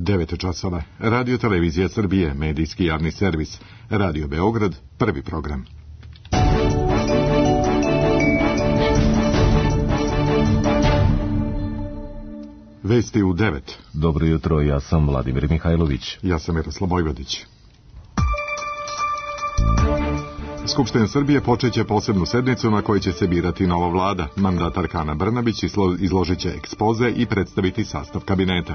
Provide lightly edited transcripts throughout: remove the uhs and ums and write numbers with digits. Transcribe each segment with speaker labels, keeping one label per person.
Speaker 1: 9 časova. Radio Televizija Srbije, medijski javni servis. Radio Beograd, prvi program. Vesti u 9.
Speaker 2: Dobro jutro, ja sam Vladimir Mihajlović.
Speaker 1: Ja sam Miroslav Vojvodić. Skupština Srbije počeće posebnu sednicu na kojoj će se birati nova vlada. Mandatarka Ana Brnabić izložit će ekspoze i predstaviti sastav kabineta.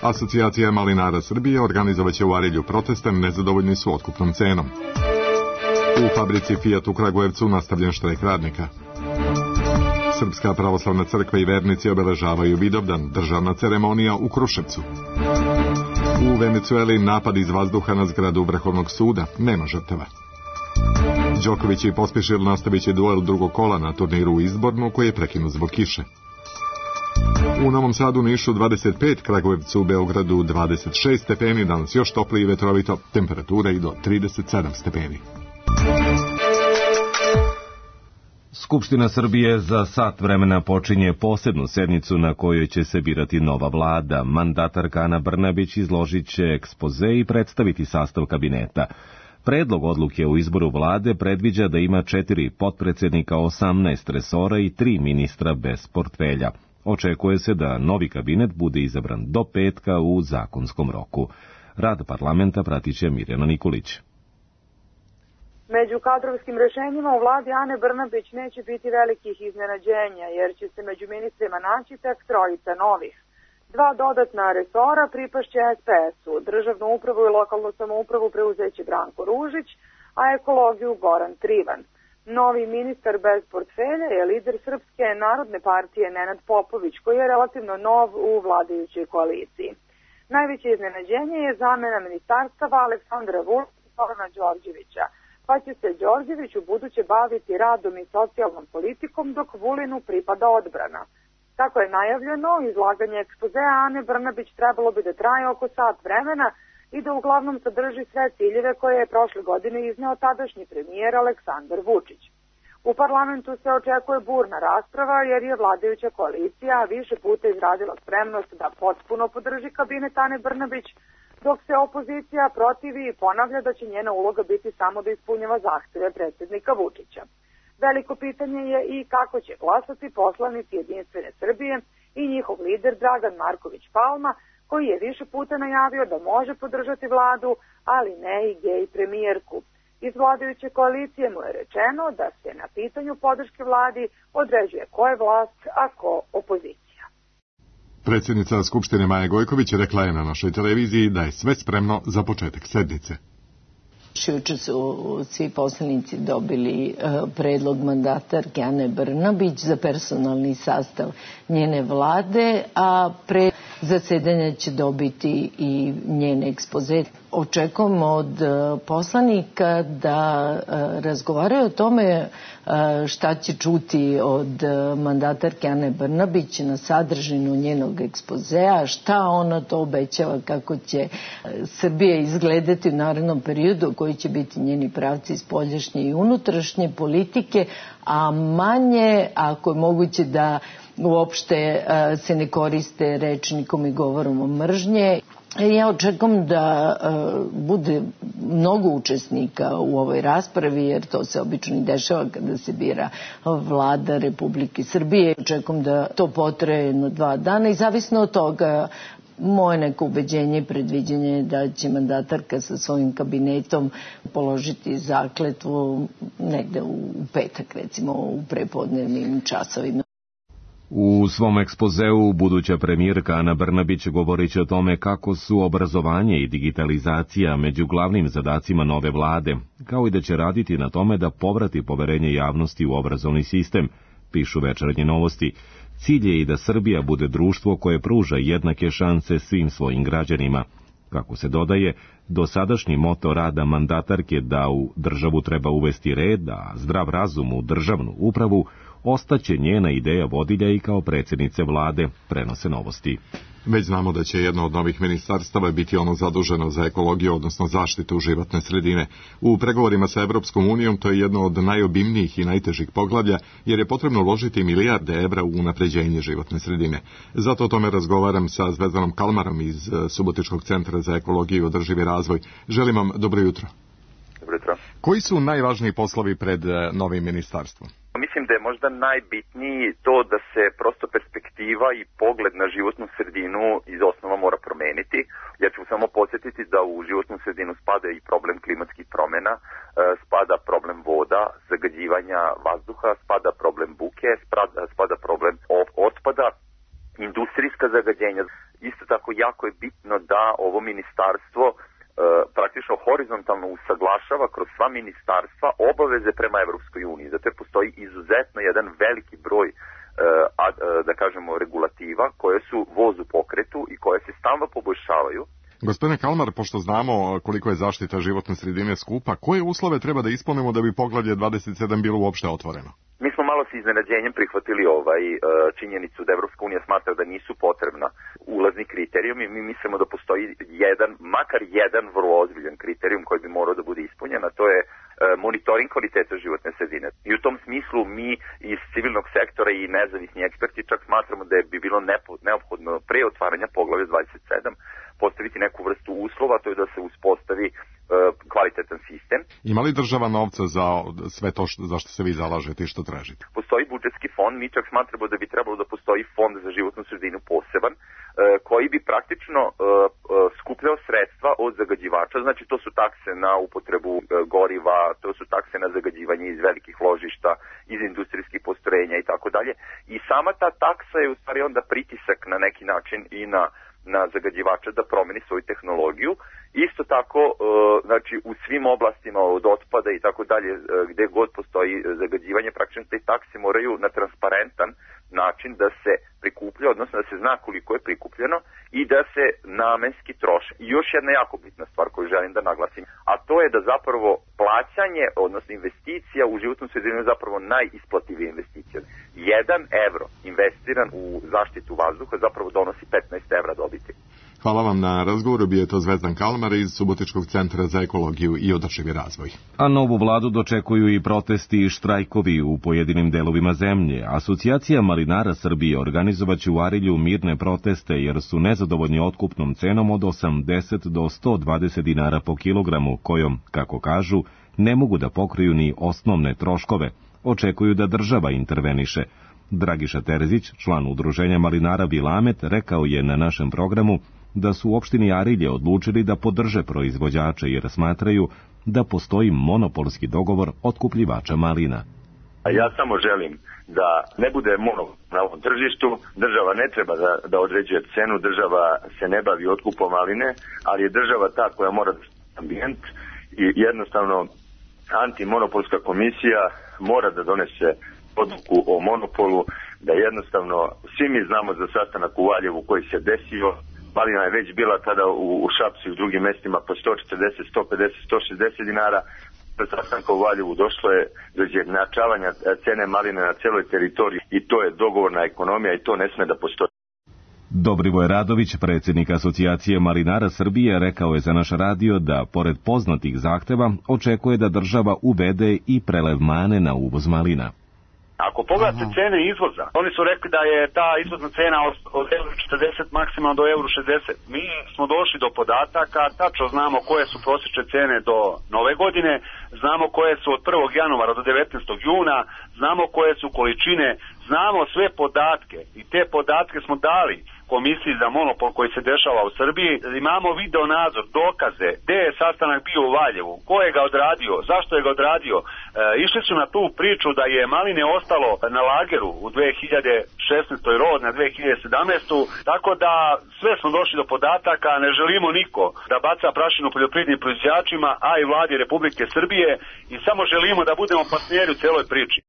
Speaker 1: Asocijacija malinara Srbije organizovaće u Arilju proteste, nezadovoljni su otkupnom cenom. U fabrici Fiat u Kragujevcu nastavljen štrajk radnika. Srpska pravoslavna crkva i vernici obeležavaju Vidovdan, državna ceremonija u Kruševcu. U Venecueli napad iz vazduha na zgradu Vrhovnog suda, nema žrtava. Đoković i Pospišil nastavit će duel drugog kola na turniru u Izbornu koji je prekinut zbog kiše. U Novom Sadu, Nišu 25, Kragujevcu, u Beogradu 26 stepeni, danas još toplije i vetrovito, temperatura i do 37 stepeni.
Speaker 2: Skupština Srbije za sat vremena počinje posebnu sednicu na kojoj će se birati nova vlada. Mandatarka Ana Brnabić izložit će ekspoze i predstaviti sastav kabineta. Predlog odluke o izboru vlade predviđa da ima 4 potpredsednika, 18 resora i 3 ministra bez portfelja. Očekuje se da novi kabinet bude izabran do petka u zakonskom roku. Rad parlamenta pratit će Mirjana Nikolić.
Speaker 3: Među kadrovskim rešenjima u vladi Ane Brnabić neće biti velikih iznenađenja, jer će se među ministrima naći tek 3 novih. 2 dodatna resora pripašće SPS-u, državnu upravu i lokalnu samoupravu preuzeće Branko Ružić, a ekologiju Goran Trivan. Novi ministar bez portfelja je lider Srpske narodne partije Nenad Popović, koji je relativno nov u vladajućoj koaliciji. Najveće iznenađenje je zamena ministarstava Aleksandra Vulina i Zorana Đorđevića, pa će se Đorđević u buduće baviti radom i socijalnom politikom, dok Vulinu pripada odbrana. Kako je najavljeno, izlaganje ekspozea Ane Brnabić trebalo bi da traje oko sat vremena i da uglavnom sadrži sve ciljeve koje je prošle godine izneo tadašnji premijer Aleksandar Vučić. U parlamentu se očekuje burna rasprava jer je vladajuća koalicija više puta izrazila spremnost da potpuno podrži kabinet Ane Brnabić, dok se opozicija protivi i ponavlja da će njena uloga biti samo da ispunjava zahteve predsjednika Vučića. Veliko pitanje je i kako će glasati poslanici Jedinstvene Srbije i njihov lider Dragan Marković Palma, koji je više puta najavio da može podržati vladu, ali ne i gej premijerku. Iz vladajuće koalicije mu je rečeno da se na pitanju podrške vladi određuje ko je vlast, a ko opozicija.
Speaker 1: Predsjednica Skupštine Maja Gojković rekla je na našoj televiziji da je sve spremno za početak sednice.
Speaker 4: Juče su svi poslanici dobili predlog mandatarke Ane Brnabić za personalni sastav njene vlade, a pre zasedanja će dobiti i njen ekspoze. Očekujemo od poslanika da razgovaraju o tome šta će čuti od mandatarke Ane Brnabić na sadržinu njenog ekspozea, šta ona to obećava, kako će Srbija izgledati u narednom periodu, koji će biti njeni pravci spoljašnje i unutrašnje politike, a manje, ako je moguće, da uopšte se ne koriste rečnikom i govorom mržnje. Ja očekujem da bude mnogo učesnika u ovoj raspravi, jer to se obično i dešava kada se bira vlada Republike Srbije. Očekujem da to potraje jedno 2 dana i zavisno od toga moje neko ubeđenje i predviđenje je da će mandatarka sa svojim kabinetom položiti zakletvu negde u petak, recimo u prepodnevnim časovima.
Speaker 2: U svom ekspozeu buduća premijerka Ana Brnabić govorit će o tome kako su obrazovanje i digitalizacija među glavnim zadacima nove vlade, kao i da će raditi na tome da povrati poverenje javnosti u obrazovni sistem, pišu Večernje novosti. Cilj je i da Srbija bude društvo koje pruža jednake šanse svim svojim građanima. Kako se dodaje, dosadašnji moto rada mandatarke da u državu treba uvesti red, a zdrav razum u državnu upravu, ostaće njena ideja vodilja i kao predsjednice vlade, prenose novosti.
Speaker 1: Već znamo da će jedno od novih ministarstava biti ono zaduženo za ekologiju, odnosno zaštitu životne sredine. U pregovorima sa Evropskom unijom to je jedno od najobimnijih i najtežih poglavlja, jer je potrebno uložiti milijarde evra u unapređenje životne sredine. Zato o tome razgovaram sa Zvezdanom Kalmarom iz Subotičkog centra za ekologiju i održivi razvoj. Želim vam dobro jutro.
Speaker 5: Dobro jutro.
Speaker 1: Koji su najvažniji poslovi pred novim ministarstvom?
Speaker 5: Mislim da je možda najbitniji to da se prosto perspektiva i pogled na životnu sredinu iz osnova mora promeniti. Ja ću samo podsjetiti da u životnu sredinu spada i problem klimatskih promjena, spada problem voda, zagađivanja vazduha, spada problem buke, spada problem otpada, industrijska zagađenja. Isto tako jako je bitno da ovo ministarstvo praktično horizontalno usaglašava kroz sva ministarstva obaveze prema Evropskoj uniji. Zato postoji izuzetno jedan veliki broj da kažemo regulativa koje su voz u pokretu i koje se stalno poboljšavaju.
Speaker 1: Gospodine Kalmar, pošto znamo koliko je zaštita životne sredine skupa, koje uslove treba da ispunimo da bi poglavlje 27 bilo uopšte otvoreno?
Speaker 5: Mi smo malo s iznenađenjem prihvatili činjenicu da Evropska unija smatra da nisu potrebna ulazni kriterijumi. Mi mislimo da postoji makar jedan vrlo ozbiljan kriterijum koji bi morao da bude ispunjen, a to je monitoring kvaliteta životne sredine. I u tom smislu mi iz civilnog sektora i nezavisni eksperti čak smatramo da bi bilo neophodno pre otvaranja poglavlja 27 postaviti neku vrstu uslova, to je da se uspostavi kvalitetan sistem.
Speaker 1: Ima li država novca za sve to za što se vi zalažete i što tražite?
Speaker 5: Postoji budžetski fond, mi čak smatramo da bi trebalo da postoji fond za životnu sredinu poseban, koji bi praktično skupljao sredstva od zagađivača, znači to su takse na upotrebu goriva, to su takse na zagađivanje iz velikih ložišta, iz industrijskih postrojenja i tako dalje. I sama ta taksa je u stvari onda pritisak na neki način i na zagađivača da promeni svoju tehnologiju. Isto tako, znači u svim oblastima od otpada i tako dalje, gde god postoji zagađivanje, praktično te takse moraju na transparentan način da se prikuplja, odnosno da se zna koliko je prikupljeno i da se namenski troši. I još jedna jako bitna stvar koju želim da naglasim, a to je da zapravo plaćanje, odnosno investicija u životnu sredinu je zapravo najisplativija investicija. 1 evro investiran u zaštitu vazduha zapravo donosi 15 evra dobiti.
Speaker 1: Hvala vam na razgovoru, bio je to Zvezdan Kalmar iz Subotičkog centra za ekologiju i održivi razvoj.
Speaker 2: A novu vladu dočekuju i protesti i štrajkovi u pojedinim delovima zemlje. Asocijacija malinara Srbije organizovaće u Arilju mirne proteste jer su nezadovoljni otkupnom cenom od 80 do 120 dinara po kilogramu, kojom, kako kažu, ne mogu da pokriju ni osnovne troškove. Očekuju da država interveniše. Dragiša Terzić, član udruženja malinara Vilamet, rekao je na našem programu da su u opštini Arilje odlučili da podrže proizvođače jer smatraju da postoji monopolski dogovor otkupljivača malina.
Speaker 6: Ja samo želim da ne bude monopol na ovom tržištu, država ne treba da određuje cenu, država se ne bavi otkupom maline, ali je država ta koja mora da ambijent i jednostavno antimonopolska komisija mora da donese odluku o monopolu, da jednostavno svi mi znamo za sastanak u Valjevu koji se desio. Malina je već bila tada u Šapcu i u drugim mestima po 140, 150, 160 dinara. Za sastanka u Valjevu došlo je do izjednačavanja cene maline na celoj teritoriji i to je dogovorna ekonomija i to ne sme da postoji.
Speaker 2: Dobrivoje Radović, predsjednik Asocijacije malinara Srbije, rekao je za naš radio da, pored poznatih zahteva, očekuje da država uvede i prelev mane na uvoz malina.
Speaker 7: Ako pogledate cene izvoza, oni su rekli da je ta izvozna cena od €40 maksimalno do €60. Mi smo došli do podataka, tačno znamo koje su prosječne cene do nove godine, znamo koje su od 1. januara do 19. juna, znamo koje su količine, znamo sve podatke i te podatke smo dali Komisiji za monopol koji se dešava u Srbiji. Imamo video nadzor, dokaze, gde je sastanak bio u Valjevu, ko je ga odradio, zašto je ga odradio. Išli su na tu priču da je maline ostalo na lageru u 2016. rod na 2017. Tako da sve smo došli do podataka, ne želimo niko da baca prašinu poljoprivrednim proizvođačima, a i vladi Republike Srbije i samo želimo da budemo partneri u celoj priči.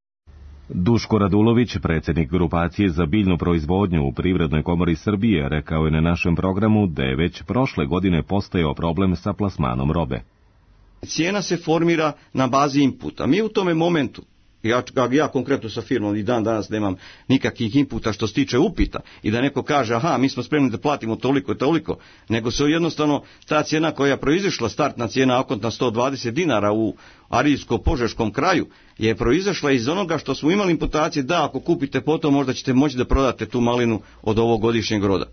Speaker 2: Duško Radulović, predsjednik grupacije za biljnu proizvodnju u Privrednoj komori Srbije, rekao je na našem programu da je već prošle godine postojao problem sa plasmanom robe.
Speaker 8: Cijena se formira na bazi inputa. Mi u tome momentu Ja konkretno sa firmom i dan danas nemam nikakvih inputa što se tiče upita i da neko kaže aha, mi smo spremni da platimo toliko i toliko, nego se jednostavno ta cijena koja je proizišla, startna cijena okontna 120 dinara u Arilsko-Požeškom kraju, je proizašla iz onoga što smo imali imputacije da ako kupite potom možda ćete moći da prodate tu malinu od ovog godišnjeg roda.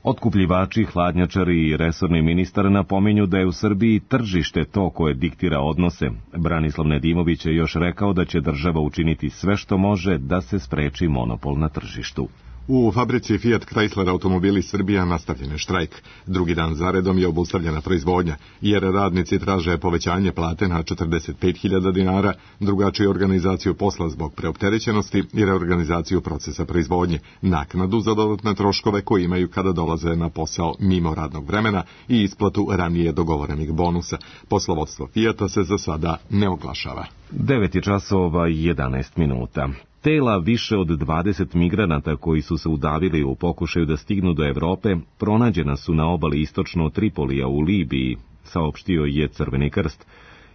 Speaker 2: Otkupljivači, hladnjačari i resorni ministar napominju da je u Srbiji tržište to koje diktira odnose. Branislav Nedimović je još rekao da će država učiniti sve što može da se spreči monopol na tržištu.
Speaker 1: U fabrici Fiat Chrysler automobili Srbija nastavljen je štrajk. Drugi dan zaredom je obustavljena proizvodnja, jer radnici traže povećanje plate na 45.000 dinara, drugačiju organizaciju posla zbog preopterećenosti i reorganizaciju procesa proizvodnje, naknadu za dodatne troškove koje imaju kada dolaze na posao mimo radnog vremena i isplatu ranije dogovorenih bonusa. Poslovodstvo Fiata se za sada ne oglašava.
Speaker 2: 9:11. Tela više od 20 migranata koji su se udavili u pokušaju da stignu do Evrope pronađena su na obali istočno od Tripolija u Libiji, saopštio je Crveni krst.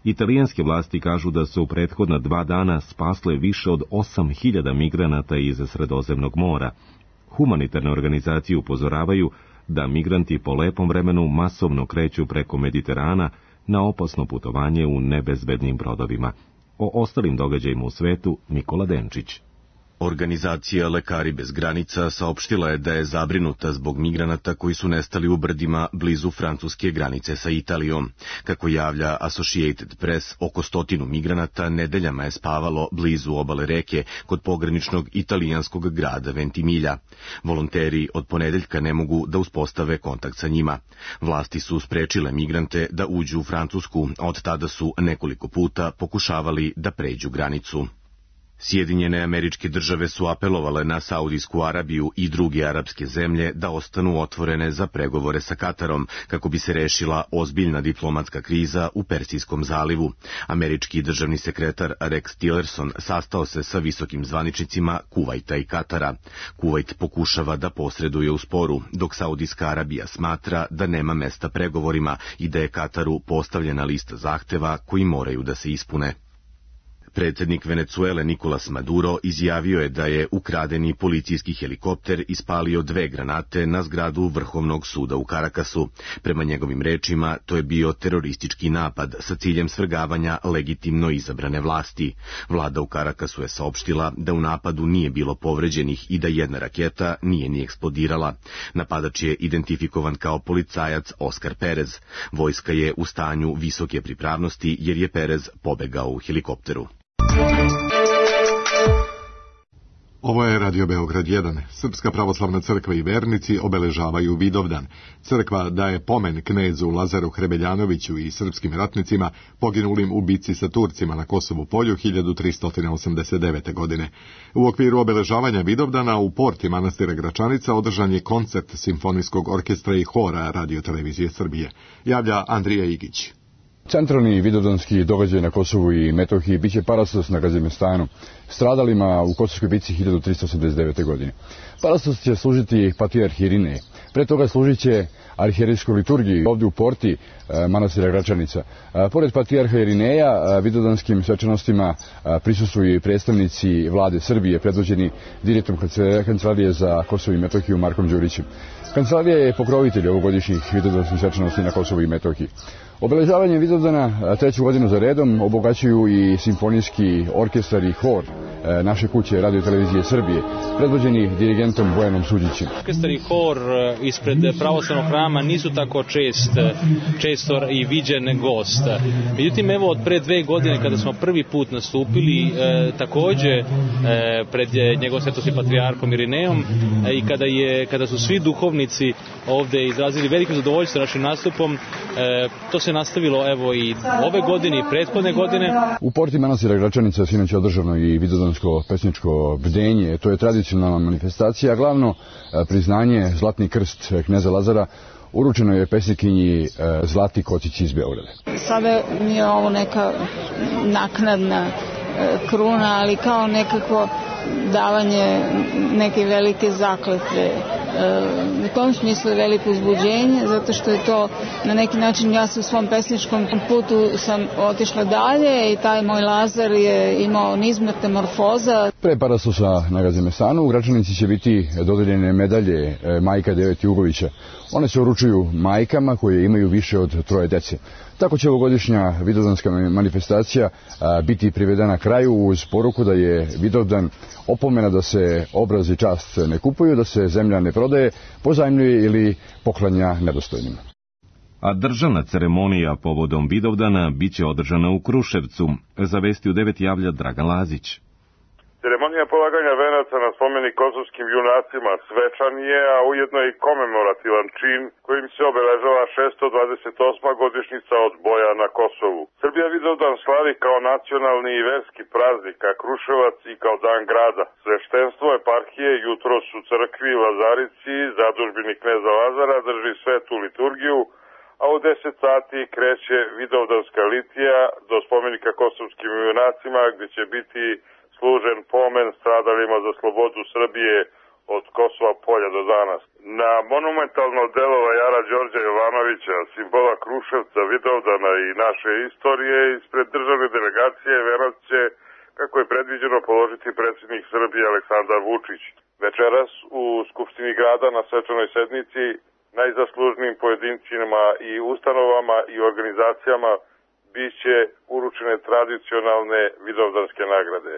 Speaker 2: Italijanske vlasti kažu da su u prethodna 2 dana spasle više od 8.000 migranata iz Sredozemnog mora. Humanitarne organizacije upozoravaju da migranti po lepom vremenu masovno kreću preko Mediterana na opasno putovanje u nebezbednim brodovima. O ostalim događajima u svetu Nikola Denčić.
Speaker 9: Organizacija Lekari bez granica saopštila je da je zabrinuta zbog migranata koji su nestali u brdima blizu francuske granice sa Italijom. Kako javlja Associated Press, oko 100 migranata nedeljama je spavalo blizu obale reke kod pograničnog italijanskog grada Ventimiglia. Volonteri od ponedeljka ne mogu da uspostave kontakt sa njima. Vlasti su sprečile migrante da uđu u Francusku, a od tada su nekoliko puta pokušavali da pređu granicu. Sjedinjene Američke Države su apelovale na Saudijsku Arabiju i druge arapske zemlje da ostanu otvorene za pregovore sa Katarom, kako bi se rešila ozbiljna diplomatska kriza u Persijskom zalivu. Američki državni sekretar Rex Tillerson sastao se sa visokim zvaničnicima Kuvajta i Katara. Kuvajt pokušava da posreduje u sporu, dok Saudijska Arabija smatra da nema mesta pregovorima i da je Kataru postavljena lista zahteva koji moraju da se ispune. Predsjednik Venecuele Nicolas Maduro izjavio je da je ukradeni policijski helikopter ispalio 2 granate na zgradu Vrhovnog suda u Karakasu. Prema njegovim rečima, to je bio teroristički napad sa ciljem svrgavanja legitimno izabrane vlasti. Vlada u Karakasu je saopštila da u napadu nije bilo povređenih i da jedna raketa nije ni eksplodirala. Napadač je identifikovan kao policajac Oscar Perez. Vojska je u stanju visoke pripravnosti jer je Perez pobegao u helikopteru.
Speaker 1: Ovo je Radio Beograd 1. Srpska pravoslavna crkva i vernici obeležavaju Vidovdan. Crkva daje pomen knezu Lazaru Hrebeljanoviću i srpskim ratnicima poginulim u bici sa Turcima na Kosovu polju 1389. godine. U okviru obeležavanja Vidovdana u porti manastira Gračanica održan je koncert simfonijskog orkestra i hora Radio Televizije Srbije. Javlja Andrija Igić.
Speaker 10: Centralni vidovdanski događaj na Kosovu i Metohiji biće parastos na Gazimestanu, stradalima u Kosovskoj bici 1389. godine. Parastos će služiti patrijarh Irinej. Pre toga služit će arhijerejskoj liturgiji ovdje u porti manastira Gračanica. Pored patrijarha Irineja, vidovdanskim svečanostima prisustvuju i predstavnici vlade Srbije, predvođeni direktorom Kancelarije za Kosovo i Metohiju Markom Đurićem. Kancelarija je pokrovitelj ovogodišnjih vidovdanskih svečanosti na Kosovu i Metohiji. Obeležavanje Vidovdana 3. godinu za redom obogaćuju i simfonijski orkestar i hor naše kuće Radio Televizije Srbije, predvođeni dirigentom Bojanom Suđićem.
Speaker 11: Orkestar i hor ispred pravoslavnog hrama nisu tako često i viđen gost. Međutim, evo od pre 2 godine kada smo prvi put nastupili, takođe pred njegovom svetosti patrijarhom Irinejom i kada su svi duhovnici ovde izrazili veliko zadovoljstvo našim nastupom, to se nastavilo evo i ove godine i prethodne godine.
Speaker 10: U porti manastira Gračanica sinoć je održano i vidovdansko pesničko bdenje. To je tradicionalna manifestacija, glavno priznanje Zlatni krst kneza Lazara uručeno je pesnikinji Zlati Kocić iz Beograda.
Speaker 12: Sada mi je ovo neka naknadna kruna, ali kao nekako davanje neke velike zakletve u tom smislu je veliko uzbuđenje, zato što je to na neki način, ja se u svom pesničkom putu sam otišla dalje i taj moj Lazar je imao niz metamorfoza.
Speaker 10: Pre parastosa na Gazimestanu u Gračanici će biti dodeljene medalje majka Devet Jugovića. One se uručuju majkama koje imaju više od 3 dece. Tako će ovogodišnja vidovdanska manifestacija biti privedena kraju uz poruku da je Vidovdan opomena da se obraz i čast ne kupuju, da se zemlja ne prodaje, pozajmljuje ili poklanja nedostojnima.
Speaker 2: A državna ceremonija povodom Vidovdana biće održana u Kruševcu, zavesti u 9 javlja Dragan Lazić.
Speaker 13: Ceremonija polaganja venaca na spomenik kosovskim junacima svečan je, a ujedno i komemorativan čin kojim se obeležava 628. godišnjica od boja na Kosovu. Srbija Vidovdan slavi kao nacionalni i verski praznik, a Kruševac i kao dan grada. Sveštenstvo eparhije jutros u crkvi Lazarici, zadužbini kneza Lazara, drži svetu liturgiju, a u 10 sati kreće Vidovdanska litija do spomenika kosovskim junacima, gdje će biti služen pomen stradalima za slobodu Srbije od Kosova polja do danas. Na monumentalno delo vajara Đorđa Jovanovića, simbola Kruševca, Vidovdana i naše istorije, ispred državne delegacije venac će, kako je predviđeno, položiti predsjednik Srbije Aleksandar Vučić. Večeras u Skupštini grada na svečanoj sednici najzaslužnijim pojedincima i ustanovama i organizacijama biće uručene tradicionalne vidovdanske nagrade.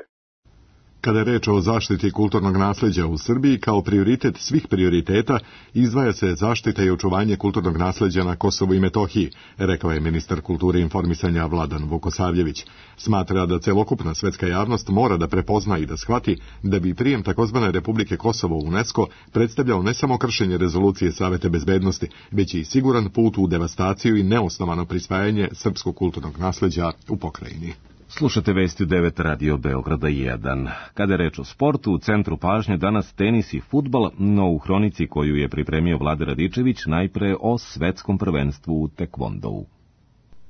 Speaker 1: Kada je reč o zaštiti kulturnog nasleđa u Srbiji, kao prioritet svih prioriteta izdvaja se zaštita i očuvanje kulturnog nasleđa na Kosovu i Metohiji, rekao je ministar kulture i informisanja Vladan Vukosavljević. Smatra da celokupna svetska javnost mora da prepozna i da shvati da bi prijem takozvane Republike Kosovo u UNESCO predstavljao ne samo kršenje rezolucije Saveta bezbednosti, već i siguran put u devastaciju i neosnovano prisvajanje srpskog kulturnog nasleđa u pokrajini.
Speaker 2: Slušate vesti u 9 Radio Beograda 1. Kada je reč o sportu, u centru pažnje danas tenis i fudbal, no u hronici koju je pripremio Vlada Radičević najpre o svetskom prvenstvu u tekvondou.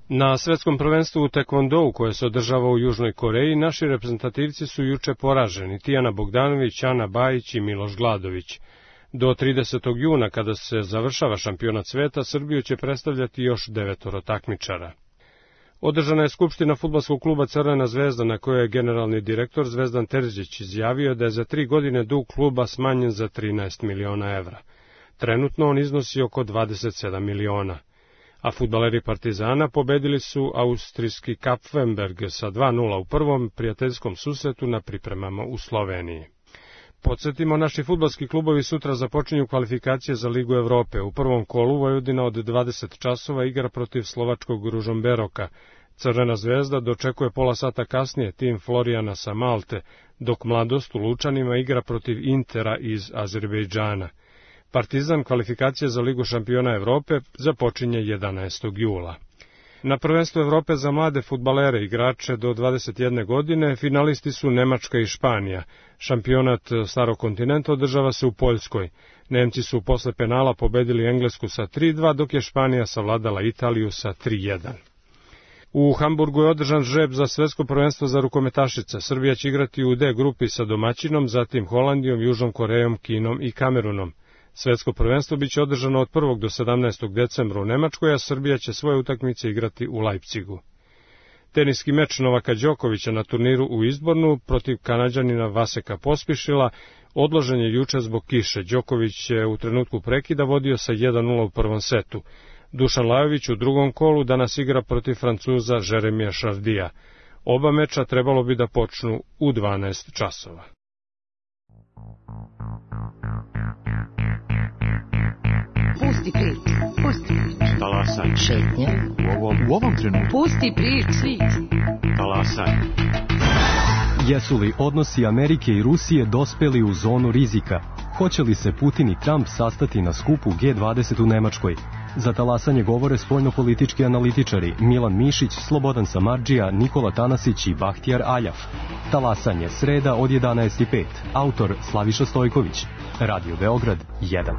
Speaker 14: Na svetskom prvenstvu u tekvondou koje se održava u Južnoj Koreji, naši reprezentativci su juče poraženi, Tijana Bogdanović, Ana Bajić i Miloš Gladović. Do 30. juna, kada se završava šampionat sveta, Srbiju će predstavljati još 9 takmičara. Održana je skupština fudbalskog kluba Crvena zvezda, na kojoj je generalni direktor Zvezdan Terzić izjavio da je za 3 godine dug kluba smanjen za 13 miliona evra. Trenutno on iznosi oko 27 miliona. A fudbaleri Partizana pobedili su austrijski Kapfenberg sa 2:0 u prvom prijateljskom susretu na pripremama u Sloveniji. Podsjetimo, naši fudbalski klubovi sutra započinju kvalifikacije za Ligu Evrope. U prvom kolu Vojvodina od 20 časova igra protiv slovačkog Ružomberoka. Crvena zvezda dočekuje pola sata kasnije tim Florijana sa Malte, dok Mladost u Lučanima igra protiv Intera iz Azerbejdžana. Partizan kvalifikacije za Ligu šampiona Evrope započinje 11. jula. Na prvenstvu Evrope za mlade fudbalere igrače do 21 godine finalisti su Nemačka i Španija. Šampionat Starog kontinenta održava se u Poljskoj. Nemci su posle penala pobedili Englesku sa 3:2, dok je Španija savladala Italiju sa 3:1. U Hamburgu je održan žreb za svetsko prvenstvo za rukometašice. Srbija će igrati u D grupi sa domaćinom, zatim Holandijom, Južnom Korejom, Kinom i Kamerunom. Svetsko prvenstvo biće održano od 1. do 17. decembra u Nemačkoj, a Srbija će svoje utakmice igrati u Leipzigu. Teniski meč Novaka Đokovića na turniru u Izbornu protiv Kanađanina Vaseka Pospišila odložen je juče zbog kiše. Đoković je u trenutku prekida vodio sa 1:0 u prvom setu. Dušan Lajović u drugom kolu danas igra protiv Francuza Jeremija Šardija. Oba meča trebalo bi da počnu u 12 časova.
Speaker 15: Pusti priču, pusti priču.
Speaker 16: Talasaj.
Speaker 15: Šetnja.
Speaker 16: U ovom trenutku.
Speaker 15: Pusti priču.
Speaker 16: Talasaj.
Speaker 17: Jesu li odnosi Amerike i Rusije dospeli u zonu rizika? Hoće li se Putin i Trump sastati na skupu G20 u Nemačkoj? Za talasanje govore spoljnopolitički analitičari Milan Mišić, Slobodan Samardžija, Nikola Tanasić i Bahtijar Aljaf. Talasanje sreda od 11:05. Autor Slaviša Stojković. Radio Beograd 1.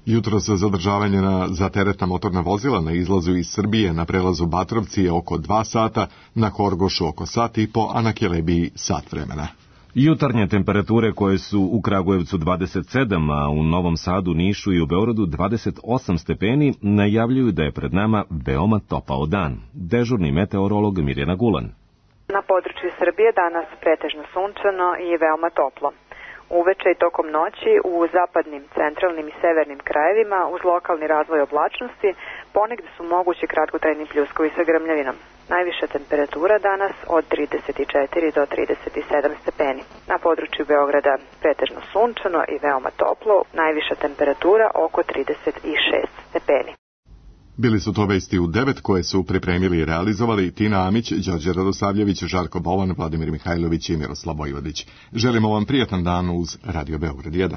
Speaker 1: Jutros zadržavanje za teretna motorna vozila na izlazu iz Srbije na prelazu Batrovci je oko 2 sata, na Horgošu oko sat i po, a na Kelebiji sat vremena.
Speaker 2: Jutarnje temperature koje su u Kragujevcu 27, a u Novom Sadu, Nišu i u Beogradu 28 stepeni, najavljuju da je pred nama veoma topao dan. Dežurni meteorolog Mirjana Gulan.
Speaker 18: Na području Srbije danas pretežno sunčano i veoma toplo. Uveče i tokom noći u zapadnim, centralnim i severnim krajevima uz lokalni razvoj oblačnosti ponegde su mogući kratkotrajni pljuskovi sa grmljavinom. Najviša temperatura danas od 34 do 37 stepeni. Na području Beograda pretežno sunčano i veoma toplo, najviša temperatura oko 36 stepeni.
Speaker 1: Bili su to vesti u 9 koje su pripremili i realizovali Tina Amić, Đorđe Radosavljević, Žarko Bolan, Vladimir Mihajlović i Miroslav Vojvodić. Želimo vam prijatan dan uz Radio Beograd 1.